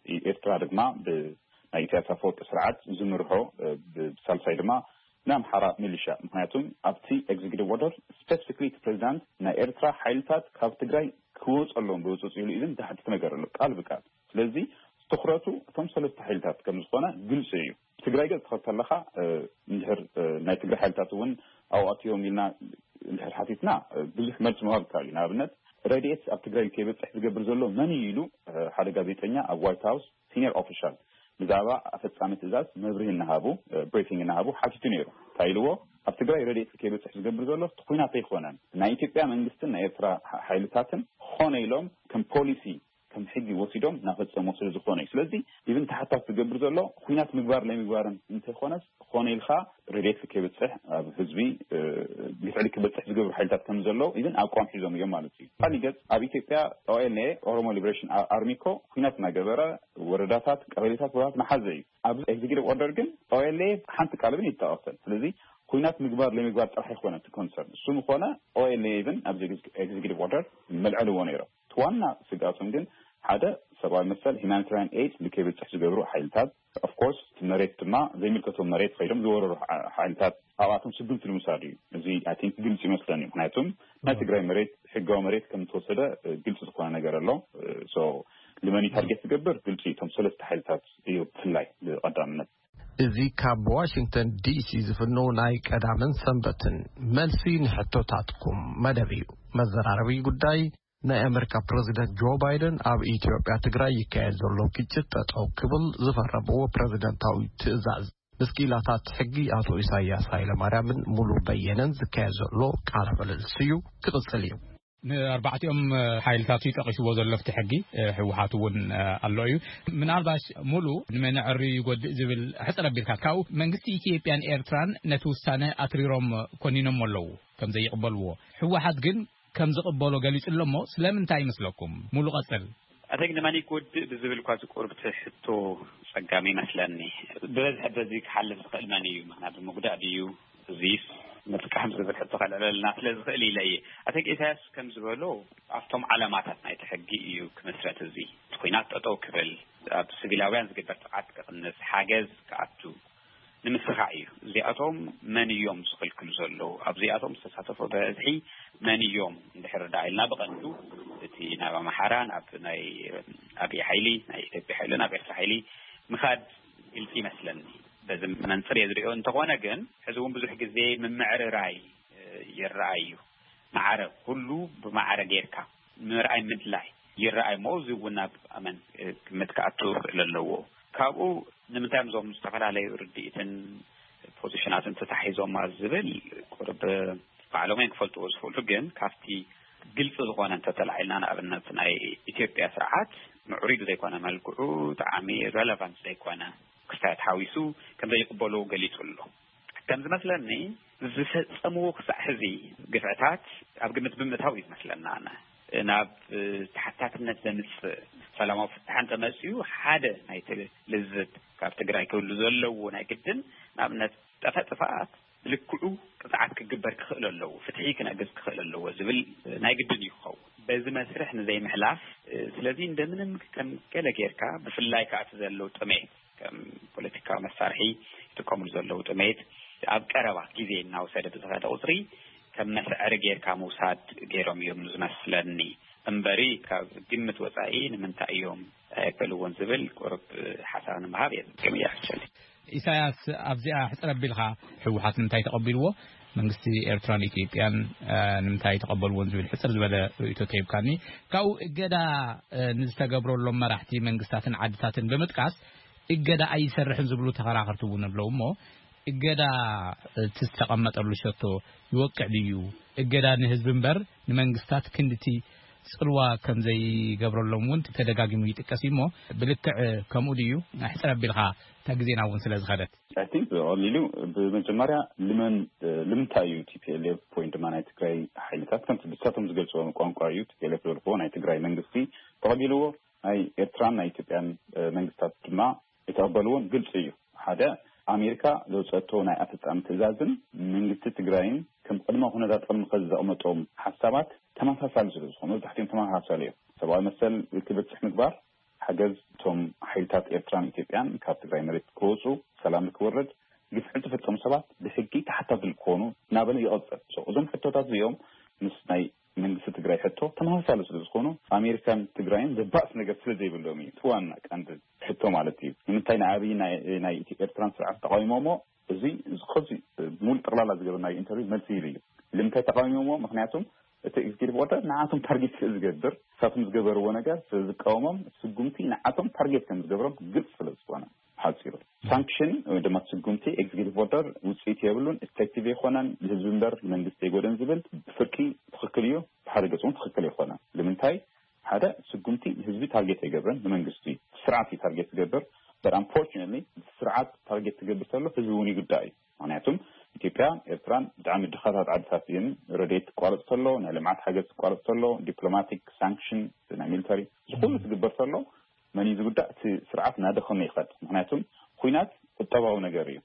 ብኤርትራ ድማ ብናይ ኢሳያስ ኣፈወርቂ ስርዓት ዝምርሖ ብሳልሳይ ድማ ናይ ኣምሓራ ሚሊሻ። ምክንያቱም ኣብቲ ኤግዚኪቲቭ ኦርደር ስፔሲፊክሊ እቲ ፕሬዚዳንት ናይ ኤርትራ ሓይልታት ካብ ትግራይ ክወፁ ኣለዎም ብህፁፅ ኢሉ ኢዝን ዝሓትት ነገር ኣሎ ቃል ብቃል። ስለዚ ትኩረቱ እቶም ሰለስተ ሓይልታት ከም ዝኾነ ግልፂ እዩ። ትግራይ ገፅ ትኸድ ከለካ እንድሕር ናይ ትግራይ ሓይልታት እውን ኣብኣትዮም ኢልና እንድሕር ሓቲትና ብዙሕ መልሲ ምሃብ ይከኣል እዩ። ንኣብነት ረድኤት ኣብ ትግራይ ከይበፅሕ ዝገብር ዘሎ መን እዩ ኢሉ ሓደ ጋዜጠኛ ኣብ ዋይት ሃውስ ሲኒየር ኦፊሻል ብዛዕባ ኣፈፃሚ ትእዛዝ መብርሂ እናሃቡ ብሪፊንግ እናሃቡ ሓቲቱ ነይሩ። እንታይ ኢልዎ? ኣብ ትግራይ ረድኤት ከይበፅሕ ዝገብር ዘሎ እቲ ኩናት ኣይኮነን፣ ናይ ኢትዮጵያ መንግስትን ናይ ኤርትራ ሓይልታትን ኾነ ኢሎም ከም ፖሊሲ ከም ሕጊ ወሲዶም እናፈፀሞ ስለ ዝኾነ እዩ። ስለዚ ኢቭን ተሓታቲ ዝገብር ዘሎ ኩናት ምግባር ናይ ምግባርን እንተይኮነስ ኾነ ኢልካ ረድኤት ከይበፅሕ ኣብ ህዝቢ ግፍዒ ክበፅሕ ዝገብሩ ሓይልታት ከም ዘለዉ ኢቭን ኣቋም ሒዞም እዮም ማለት እዩ። ካሊእ ገፅ ኣብ ኢትዮጵያ ኦኤልኤ ኦሮሞ ሊበሬሽን ኣርሚ እኮ ኩናት እናገበረ ወረዳታት ቀበሌታት ቦታት መሓዘ እዩ። ኣብ ኤግዚኪቲቭ ኦርደር ግን ኦኤልኤ ሓንቲ ቃል እውን ይጠቐሰን። ስለዚ ኩናት ምግባር ለምግባር ጥራሕ ይኮነ እቲ ኮንሰርን እሱ ምኮነ ኦኤልኤ ኢቭን ኣብዚ ኤግዚኪቲቭ ኦርደር መልዐልዎ ነይሮም። እቲ ዋና ስግኣቶም ግን ሓደ ሰብኣዊ መሰል ሂማኒታሪያን ኤድ ንከይበፅሕ ዝገብሩ ሓይልታት ኦፍኮርስ እቲ መሬት ድማ ዘይምልከቶም መሬት ከይዶም ዝወረሩ ሓይልታት ኣብኣቶም ስጉምቲ ንምውሳድ እዩ። እዚ ኣይ ቲንክ ግልፂ ይመስለኒ። ምክንያቱም ናይ ትግራይ መሬት ሕጋዊ መሬት ከም ዝተወሰደ ግልፂ ዝኾነ ነገር ኣሎ። ልመን ታርጌት ዝገብር ግልፂ እቶም ሰለስተ ሓይልታት እዩ ብፍላይ ብቐዳምነት። እዚ ካብ ዋሽንግተን ዲሲ ዝፍነው ናይ ቀዳምን ሰንበትን መልሲ ንሕቶታትኩም መደብ እዩ። መዘራረቢ ጉዳይ ናይ ኣመሪካ ፕረዚደንት ጆ ባይደን ኣብ ኢትዮጵያ ትግራይ ይካየድ ዘሎ ግጭት ጠጠው ክብል ዝፈረምዎ ፕረዚደንታዊ ትእዛዝ ምስ ክኢላታት ሕጊ ኣቶ ኢሳያስ ሃይለማርያምን ሙሉ በየነን ዝካየድ ዘሎ ቃለ ምልልስ እዩ ክቕፅል እዩ። ንኣርባዕቲኦም ሓይልታት እዩ ጠቒስዎ ዘሎ ኣብቲ ሕጊ። ህወሓት እውን ኣሎ እዩ። ምናልባሽ ሙሉ ንመን ዕሪ ይጎድእ ዝብል ሕፅር ኣቢልካ ካብኡ መንግስቲ ኢትዮጵያን ኤርትራን ነቲ ውሳነ ኣትሪሮም ኮኒኖም ኣለዉ ከም ዘይቕበልዎ። ህወሓት ግን ከም ዝቕበሎ ገሊጹ ኣሎ እሞ ስለምንታይ ይመስለኩም? ሙሉ ቀጽል። ኣተግ ንመን ይጎድእ ብዝብል እኳ ዝቁርብቲ ሕቶ ጸጋሚ ይመስለኒ። ብበዝሒ በዚ ክሓልፍ ዝኽእል መን እዩ? ምኽንያቱ ምጉዳእ ድዩ? እዚስ ምጥቃም ዝብል ሕቶ ከልዕለልና ስለ ዝኽእል ኢለ እየ። ኣተግ ኢሳያስ ከም ዝበሎ ኣብቶም ዓላማታት ናይቲ ሕጊ እዩ ክምስረት። እዚ እቲ ኲናት ጠጠው ክብል፣ ኣብ ስቪላውያን ዝግበር ጥቕዓት ክቕንስ፣ ሓገዝ ክኣቱ ንምስኻዕ እዩ። እዚኣቶም መን እዮም ዝኽልክሉ ዘለዉ? ኣብዚኣቶም ዝተሳተፉ ብበዝሒ መን እዮም እንድሕር ደኣ ኢልና ብቐንዱ እቲ ናብ ኣምሓራ ናብ ናይ ኣብይ ሓይሊ ናይ ኢትዮጵያ ሓይሊ ናብ ኤርትራ ሓይሊ ምኻድ ግልፂ ይመስለኒ። በዚ መንፅር እየ ዝሪኦ። እንተኾነ ግን ሕዚ እውን ብዙሕ ግዜ ምምዕርራይ ይረኣይ እዩ። ማዕረ ኩሉ ብማዕረ ጌርካ ምርኣይ ምድላይ ይረኣይ እሞ፣ እዚ እውን ኣብ ኣመን ግምት ክኣቱ ክእል ኣለዎ። ካብኡ ንምንታይ እዞም ዝተፈላለዩ ርድኢትን ፖዚሽናትን ተታሒዞማ ዝብል ቁርብ ባዕሎም እዮም ክፈልጥዎ ዝኽእሉ። ግን ካብቲ ግልፂ ዝኾነ እንተተላዒልና፣ ንኣብነት ናይ ኢትዮጵያ ስርዓት ምዕሩይ ብዘይኮነ መልክዑ፣ ጠዓሚ ረለቫንት ዘይኮነ ክስታያት ሓዊሱ ከም ዘይቅበሉ ገሊፁ ኣሎ። ከም ዝመስለኒ ዝፈጸምዎ ክሳዕ ሕዚ ግፍዕታት ኣብ ግምት ብምእታው እዩ ዝመስለና። ኣነ ናብ ተሓታትነት ዘምጽእ ሰላማዊ ፍታሕ እንተመጽኡ፣ ሓደ ናይቲ ልዝብ ካብ ትግራይ ክህሉ ዘለዎ ናይ ግድን፣ ንኣብነት፣ ጠፈጥፋኣት ብልክዑ ቅፅዓት ክግበር ክኽእል ኣለዎ፣ ፍትሒ ክነግስ ክኽእል ኣለዎ ዝብል ናይ ግድን እዩ ክኸውን። በዚ መስርሕ ንዘይምሕላፍ፣ ስለዚ እንደምንም ከም ገለ ጌርካ፣ ብፍላይ ከዓ እቲ ዘሎ ጥሜት ከም ፖለቲካዊ መሳርሒ ይጥቀምሉ ዘለዉ ጥሜት ኣብ ቀረባ ግዜ እናወሰደ ብዝኸደ ቁፅሪ ከም መስዐሪ ጌርካ ምውሳድ ገይሮም እዮም ዝመስለኒ። እምበሪ ካብ ግምት ወፃኢ ንምንታይ እዮም ኣየበልዎን ዝብል ቁርብ ሓሳብ ንምሃብ እየ ዝጥቀም እያ። ኢሳያስ ኣብዚኣ ሕፅር ኣቢልካ ህወሓት ንምንታይ ተቐቢልዎ? መንግስቲ ኤርትራን ኢትዮጵያን ንምንታይ ተቐበልዎን ዝብል ሕፅር ዝበለ ርእይቶ ተሂብካኒ። ካብኡ እገዳ ንዝተገብረሎም መራሕቲ መንግስታትን ዓድታትን ብምጥቃስ እገዳ ኣይሰርሕን ዝብሉ ተኸራኸርቲ እውን ኣለዉ እሞ፣ እገዳ እቲ ዝተቐመጠሉ ሸቶ ይወቅዕ ድዩ? እገዳ ንህዝቢ እምበር ንመንግስታት ክንድቲ ፅልዋ ከም ዘይገብረሎም እውን ተደጋጊሙ ይጥቀስ እዩ እሞ፣ ብልክዕ ከምኡ ድዩ? ሕፅር ኣቢልካ፣ እታ ግዜና እውን ስለ ዝኸደት። I think ብቐሊሉ፣ ብመጀመርያ ልመን፣ ንምንታይ እዩ ቲ ፒ ኤል ኤፍ ወይ ድማ ናይ ትግራይ ሓይልታት፣ ከምቲ ብሳቶም ዝገልፅዎ ቋንቋ እዩ፣ ቲ ፒ ኤል ኤፍ ዝበልክዎ ናይ ትግራይ መንግስቲ ተቐቢልዎ፣ ናይ ኤርትራን ናይ ኢትዮጵያን መንግስታት ድማ የተቐበልዎን ግልፂ እዩ። ሓደ፣ ኣሜሪካ ዘውፀአቶ ናይ ኣፈፃሚ ትእዛዝን መንግስቲ ትግራይን ከም ቅድመ ኩነታት ቅድሚ ከዚ ዘቕመጦም ሓሳባት ተመሳሳሊ ስለ ዝኾኑ፣ መብዛሕትኦም ተመሳሳሊ እዮም። ሰብኣዊ መሰል ክብፅሕ ምግባር፣ ሓገዝ እቶም ሓይልታት ኤርትራን ኢትዮጵያን ካብ ትግራይ መሬት ክወፁ፣ ሰላም ንክወርድ፣ ግፍዒ ዝፈፀሙ ሰባት ብሕጊ ተሓታቲ ክኾኑ እናበለ ይቐፅል። So፣ እዞም ሕቶታት እዚኦም ምስ ናይ መንግስቲ ትግራይ ሕቶ ተመሳሳሊ ስለ ዝኾኑ፣ ኣሜሪካን ትግራይን ዘባእስ ነገር ስለ ዘይብሎም እዩ። እቲ ዋና ቀንዲ ሕቶ ማለት እዩ። ንምንታይ ንኣብይ ናይ፣ ናይ ኢትዮ ኤርትራን ስርዓት ተቃዊሞሞ? እዚ፣ እዚ ከዚ ሙሉ ጠቕላላ ዝገበርናዮ ኢንተርቪው መልሲ ይህብ እዩ። ንምንታይ ተቃዊሞሞ? ምክንያቱም እቲ ኤግዚኪቲቭ ኦርደር ንዓቶም ታርጌት ስለ ዝገብር፣ ንሳቶም ዝገበርዎ ነገር ስለ ዝቃወሞም፣ ስጉምቲ ንዓቶም ታርጌት ከም ዝገብሮም ግልፂ ስለ ዝኾነ፣ ሓፂሩ፣ ሳንክሽን ወይ ድማ ስጉምቲ ኤግዚኪቲቭ ኦርደር ውፅኢት የብሉን፣ ኢፌክቲቭ ኣይኮነን፣ ንህዝቢ እምበር ንመንግስቲ ኣይጎድእን ዝብል ብፍርቂ ትኽክል እዩ፣ ብሓደ ገፅ እውን ትኽክል ኣይኮነን። ንምንታይ? ሓደ፣ ስጉምቲ ንህዝቢ ታርጌት ኣይገብርን፣ ንመንግስቲ እዩ፣ ስርዓት እዩ ታርጌት ዝገብር። But unfortunately፣ ስርዓት ታርጌት ትገብር ተሎ ህዝቢ እውን ይጉዳእ እዩ። ምክንያቱም ኢትዮጵያ፣ ኤርትራን ብጣዕሚ ድኻታት ዓድታት እየን። ረድኤት ትቋረፅ ተሎ፣ ናይ ልምዓት ሓገዝ ትቋረፅ ተሎ፣ ዲፕሎማቲክ ሳንክሽን፣ ናይ ሚሊተሪ፣ ዝኹሉ ትግበር ተሎ፣ መን እዩ ዝጉዳእ? እቲ ስርዓት እናደኸመ ይኸድ። ምክንያቱም ኩናት ቁጠባዊ ነገር እዩ።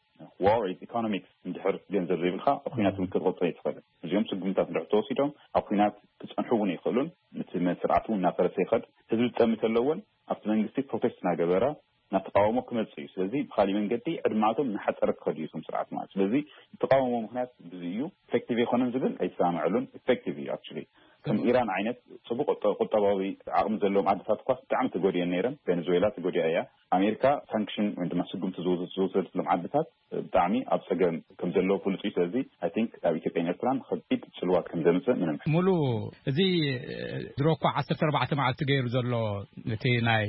War is economics። እንድሕር ገንዘብ ዘይብልካ፣ ኣብ ኩናት እውን ክትቕፅል ኣይትኽእልን። እዚኦም ስጉምታት እንድሕር ተወሲዶም፣ ኣብ ኩናት ክፀንሑ እውን ኣይኽእሉን። እቲ መ-፣ ስርዓት እውን እናፈረሰ ይኸድ። ህዝቢ ዝጠሚ ተሎ እውን ኣብቲ መንግስቲ ፕሮቴስት እናገበረ፣ እናተቃወሞ ክመፅእ እዩ። ስለዚ ብኻሊእ መንገዲ ዕድማቶም እናሓፀረ ክኸዱ እዩ እቶም ስርዓት ማለት። ስለዚ ዝተቃወሞ ምክንያት ብዙ እዩ። ኢፌክቲቭ ኣይኮነን ዝብል ኣይሰማምዐሉን። ኢፌክቲቭ እዩ ኣክቹሊ። ከም ኢራን ዓይነት ፅቡቅ ቁጠ-፣ ቁጠባዊ ዓቕሚ ዘለዎም ዓድታት እኳ ብጣዕሚ ተጎዲአን ነይረን። ቬኔዙዌላ ተጎዲኣ እያ። ኣሜሪካ ሳንክሽን ወይ ድማ ስጉምቲ ዝወሰ-፣ ዝወሰደትሎም ዓድታት ብጣዕሚ ኣብ ፀገም ከም ዘለዉ ፍሉጥ እዩ። ስለዚ I think ኣብ ኢትዮጵያን ኤርትራን ከቢድ ፅልዋት ከም ዘምፅእ ምንም። ሙሉ፣ እዚ ድሮ እኳ ዓሰርተ ኣርባዕተ መዓልቲ ገይሩ ዘሎ እቲ ናይ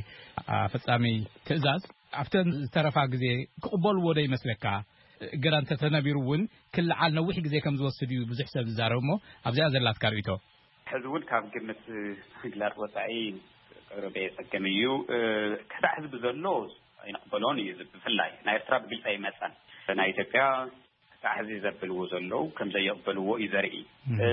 ኣፈፃሚ ትእዛዝ ኣብተን ዝተረፋ ግዜ ክቕበልዎ ዶ ይመስለካ? እገዳ እንተተነቢሩ እውን ክልዓል ነዊሕ ግዜ ከም ዝወስድ እዩ ብዙሕ ሰብ ዝዛረብ እሞ ኣብዚኣ ዘላትካ ርእይቶ? ሕዚ እውን ካብ ግምት ምግላፅ ወፃኢ ቅርብ የፀግም እዩ። እ፣ ክሳዕ ሕዚ ብዘሎ ኣይንቕበሎን እዩ። እዚ ብፍላይ ናይ ኤርትራ ብግልፂ ኣይመፀን። ናይ ኢትዮጵያ ክሳዕ ሕዚ ዘብልዎ ዘለዉ ከም ዘይቕበልዎ እዩ ዘርኢ። እም። እ፣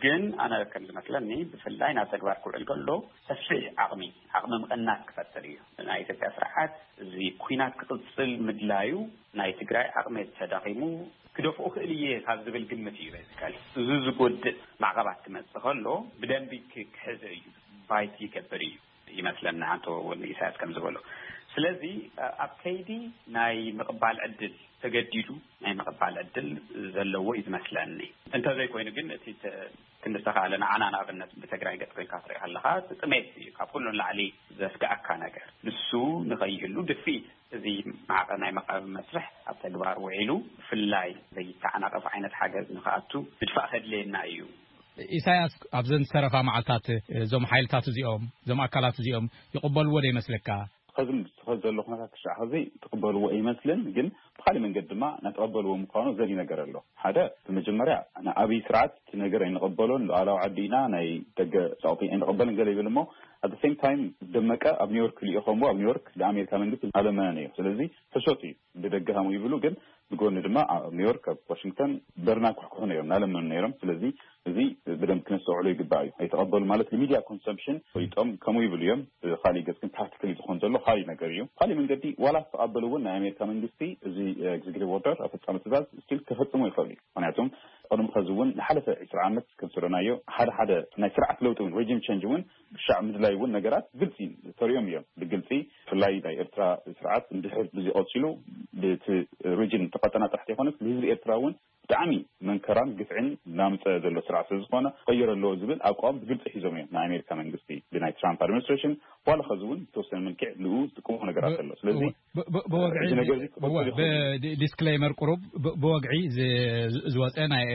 ግን ኣነ ከም ዝመስለኒ ብፍላይ ናብ ተግባር ክውዕል ከሎ ሰፊሕ ዓቕሚ፣ ዓቕሚ ምቕናስ ክፈጥር እዩ። ናይ ኢትዮጵያ ስርዓት እዚ ኩናት ክቕፅል ምድላዩ ናይ ትግራይ ዓቕሚ ተዳኺሙ ክደፍኦ ክእል እየ ካብ ዝብል ግምት እዩ። ቤዚካሊ እዚ ዝጎድእ ማዕቐባት ክመፅእ ከሎ ብደንቢ ክ-፣ ክሕዞ እዩ፣ ባይት ይገብር እዩ ይመስለኒ፣ ኣንቶ ኢሳያስ ከም ዝበሎ። ስለዚ ኣብ ከይዲ ናይ ምቕባል ዕድል ተገዲዱ ናይ ምቕባል ዕድል ዘለዎ እዩ ዝመስለኒ። እንተዘይኮይኑ ግን እቲ ተ-፣ ክንዲ ዝተኻእለ ንዓና ንኣብነት ብትግራይ ገፅ ኮይንካ ትርኢ ከለኻ እቲ ጥሜት እዩ ካብ ኩሉ ንላዕሊ ዘስግኣካ ነገር። ንሱ ንኸይህሉ ድፍኢት እዚ ማዕቐ ናይ መቓብር መስርሕ ኣብ ተግባር ውዒሉ፣ ብፍላይ ዘይተዓናቐፍ ዓይነት ሓገዝ ንኽኣቱ ምድፋእ ከድልየና እዩ። ኢሳያስ፣ ኣብዘን ዝተረፋ መዓልታት እዞም ሓይልታት እዚኦም፣ እዞም ኣካላት እዚኦም ይቕበልዎ ዶ ይመስለካ? ከዚ ምስ-፣ ከዚ ዘሎ ኩነታት ክሻዕ ከዚ ትቕበልዎ ይመስልን፣ ግን ብኻሊእ መንገዲ ድማ እናተቐበልዎ ምዃኑ ዘርኢ ነገር ኣሎ። ሓደ፣ ብመጀመርያ ንኣብይ ስርዓት እቲ ነገር ኣይንቐበሎን፣ ሉዓላዊ ዓዲ ኢና፣ ናይ ደገ ጸቕጢ ኣይንቐበልን ገለ ይብል እሞ፣ at the same time ደመቀ ኣብ ኒውዮርክ ልኢኾምዎ፣ ኣብ ኒውዮርክ ንኣሜሪካ መንግስቲ ኣለመነ ነይሩ። ስለዚ ሕሶት እዩ፣ ብደገ ሃሙ ይብሉ፣ ግን ብጎኒ ድማ ኣብ ኒውዮርክ፣ ኣብ ዋሽንግተን በርና ኩሕኩሑ ነይሮም፣ እናለመኑ ነይሮም። ስለዚ እዚ ብደንብ ክነስተውዕሎ ይግባእ እዩ። ኣይተቐበሉ ማለት ንሚድያ ኮንሰምፕሽን ወይጦም ከምኡ ይብሉ እዮም። ብኻሊእ ገጽ ግን ፕራክቲካሊ ዝኾን ዘሎ ካልእ ነገር እዩ። ካልእ መንገዲ ዋላ ዝተቐበሉ እውን ናይ ኣሜሪካ መንግስቲ እዚ ኤግዜኪቲቭ ኦርደር፣ ኣፈጻሚ ትእዛዝ ስቲል ክፈጽሙ ይኽእሉ እዩ። ምክንያቱም ቅድሚ ኸዚ እውን ንሓለፈ ዕስራ ዓመት ከም ዝረናዮ ሓደ ሓደ ናይ ስርዓት ለውጢ እውን ሬጂም ቸንጅ እውን ክሻዕ ምድላይ እውን ነገራት ግልጺ ተሪኦም እዮም። ብግልጺ ብፍላይ ናይ ኤርትራ ስርዓት እንድሕር ብዚ ቀጺሉ ብቲ ሬጂም ተቐጠና ጥራሕ ዘይኮነስ ንህዝቢ ኤርትራ እውን ብጣዕሚ መንከራን ግፍዕን እናምፀ ዘሎ ስርዓት ስለ ዝኾነ ክቕየር ኣለዎ ዝብል ኣቋም ብግልፂ ሒዞም እዮም ናይ ኣሜሪካ መንግስቲ ብናይ ትራምፕ ኣድሚኒስትሬሽን ዋላ ኸዚ እውን ዝተወሰነ መልክዕ ንኡ ዝጥቀሙ ነገራት ኣሎ። ስለዚ ብ-፣ ብ-፣ ብወግዒ እዚ ነገር እዚ ክቕፅል እወ፣ ይኽእል እዩ። ብ-፣ ዲ-፣ ዲስክሌመር ቁሩብ ብ-፣ ብወግዒ ዝ-፣ ዝ-፣ ዝወፀ ናይ፣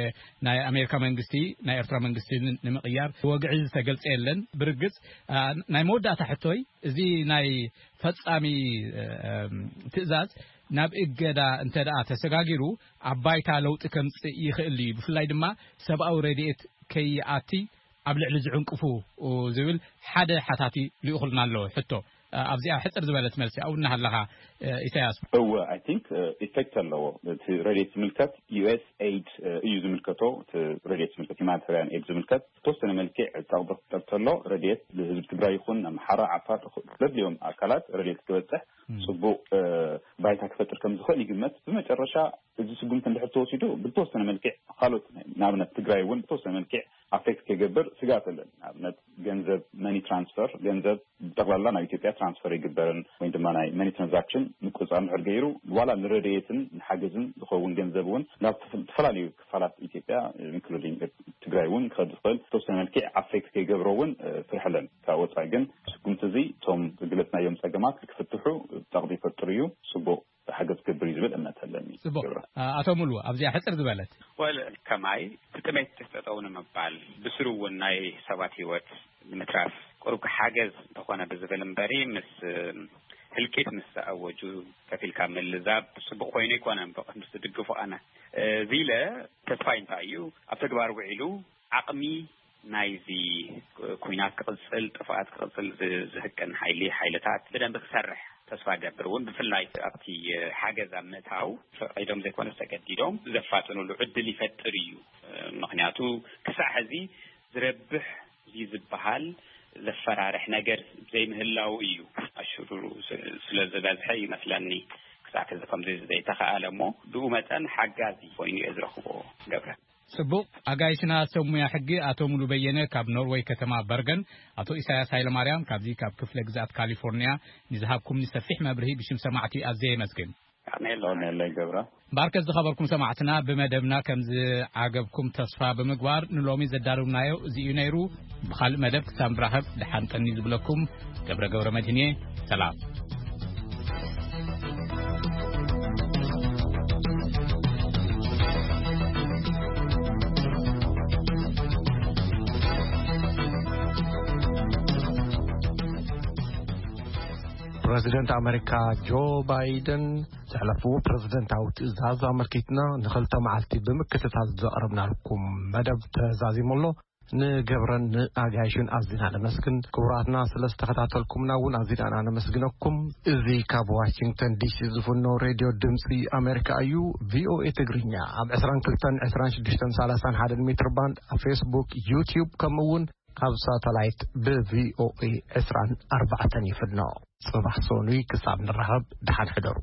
ናይ ኣሜሪካ መንግስቲ ናይ ኤርትራ መንግስቲ ን-፣ ንምቕያር ብወግዒ ዝተገልፀ የለን። ብርግፅ፣ ኣ፣ ናይ መወዳእታ ሕቶይ እዚ ናይ ፈጻሚ፣ እ፣ ትእዛዝ ናብ እገዳ እንተ ደኣ ተሰጋጊሩ ኣብ ባይታ ለውጢ ከምጽእ ይኽእል እዩ። ብፍላይ ድማ ሰብኣዊ ረድኤት ከይኣቲ ኣብ ልዕሊ ዝዕንቅፉ ዝብል ሓደ ሓታቲ ልኢኹልና ኣሎ ሕቶ። ኣብዚኣ ሕጽር ዝበለት መልሲ ኣብኡ እናሃለኻ፣ ኢሳያስ። እወ፣ I think ኢፌክት ኣለዎ። እቲ ረድኤት ዝምልከት ዩ ኤስ ኤድ እዩ ዝምልከቶ። እቲ ረድኤት ዝምልከት፣ ሂማኒታርያን ኤድ ዝምልከት፣ ዝተወሰነ መልክዕ ጸቕጢ ክፍጠር ከሎ ረድኤት ንህዝቢ ትግራይ ይኹን ኣምሓራ፣ ዓፋር፣ ዘድልዮም ኣካላት ረድኤት ክበጽሕ ጽቡቕ ባይታ ክፈጥር ከም ዝኽእል ይግመት። ብመጨረሻ እዚ ስጉምቲ እንድሕር ተወሲዱ ብዝተወሰነ መልክዕ ካልኦት፣ ንኣብነት ትግራይ እውን ብዝተወሰነ መልክዕ ኣፌክት ከይገብር ስግኣት ኣለን። ንኣብነት ገንዘብ፣ መኒ ትራንስፈር፣ ገንዘብ ብጠቕላላ ናብ ኢትዮጵያ ትራንስፈር ኣይግበርን ወይ ድማ ናይ መኒ ትራንዛክሽን ምቁፅፃር እንድሕር ገይሩ ዋላ ንረድኤትን ንሓገዝን ዝኸውን ገንዘብ እውን ናብ ዝተፈላለዩ ክፋላት ኢትዮጵያ ኢንክሉዲንግ ትግራይ እውን ክኸድ ዝኽእል ዝተወሰነ መልክዕ ኣፌክት ከይገብሮ እውን ፍርሒ ኣለን። ካብ ወፃኢ ግን ስጉምቲ እዚ እቶም ዝግለፅናዮም ፀገማት ክፍትሑ ጸቕጢ ይፈጥር እዩ። ጽቡቕ ሓገዝ ክገብር እዩ ዝብል እምነት ኣለኒ። ጽቡቕ። ኣቶ ሙሉ ኣብዚኣ ሕጽር ዝበለት። ወል ከማይ እቲ ጥሜት ጠጠው ንምባል ብስሩ እውን ናይ ሰባት ህይወት ንምትራፍ ቁሩብ ሓገዝ እንተኾነ ብዝብል እምበሪ ምስ ህልቂት ምስ ኣወጁ ከፊልካ ምልዛብ ጽቡቕ ኮይኑ ኣይኮነን። ብቕድሚ ዝድግፎ ኣነ እዚ ኢለ ተስፋይ እንታይ እዩ ኣብ ተግባር ውዒሉ ዓቕሚ ናይዚ ኩናት ክቕጽል፣ ጥፍኣት ክቕጽል ዝህቅን ሓይሊ ሓይልታት ብደንቢ ክሰርሕ ተስፋ ገብር እውን ብፍላይ ኣብቲ ሓገዝ ኣብ ምእታው ፈቒዶም ዘይኮነስ ተገዲዶም ዘፋጥኑሉ ዕድል ይፈጥር እዩ። ምክንያቱ ክሳዕ ሕዚ ዝረብሕ እዩ ዝበሃል ዘፈራርሕ ነገር ዘይምህላው እዩ ኣሽሩሩ ስለ ዝበዝሐ ይመስለኒ ክሳዕ ሕዚ ከምዚ ዘይተኸኣለ እሞ ብኡ መጠን ሓጋዚ ኮይኑ እየ ዝረኽቦ። ገብረ። ጽቡቕ። ኣጋይሽና ሰብ ሙያ ሕጊ ኣቶ ሙሉ በየነ ካብ ኖርወይ ከተማ በርገን፣ ኣቶ ኢሳያስ ሃይለማርያም ካብዚ ካብ ክፍለ ግዝኣት ካሊፎርኒያ ንዝሃብኩምኒ ሰፊሕ መብርሂ ብሽም ሰማዕቲ ኣዝየ የመስግን። ኣሜን። ኣሜን። ገብረ። ባርከት ዝኸበርኩም ሰማዕትና ብመደብና ከም ዝዓገብኩም ተስፋ ብምግባር ንሎሚ ዘዳርብናዮ እዚ እዩ ነይሩ። ብኻልእ መደብ ክሳብ ንራኸብ ደሓን ጠኒ ዝብለኩም ገብረ ገብረ መድህን እየ። ሰላም። ፕረዚደንት ኣመሪካ ጆ ባይደን ዘሕለፍዎ ፕረዚደንታዊ ትእዛዝ ኣመልኪትና ንኽልተ መዓልቲ ብምክትታል ዘቕረብናልኩም መደብ ተዛዚሙ ኣሎ። ንገብረን ንኣጋይሽን ኣዝና ነመስግን። ክቡራትና ስለ ዝተኸታተልኩምና እውን ኣዝና ነመስግነኩም። እዚ ካብ ዋሽንግተን ዲሲ ዝፍኖ ሬድዮ ድምፂ ኣሜሪካ እዩ። ቪኦኤ ትግርኛ ኣብ ዕስራን ክልተን ዕስራን ሽዱሽተን ሰላሳን ሓደን ሜትር ባንድ ኣብ ፌስቡክ፣ ዩትዩብ ከምኡ እውን ኣብ ሳተላይት ብቪኦኤ ዕስራን ኣርባዕተን ይፍኖ። ጽባሕ ሰኑይ ክሳብ ንራኸብ ደሓን ሕደሩ።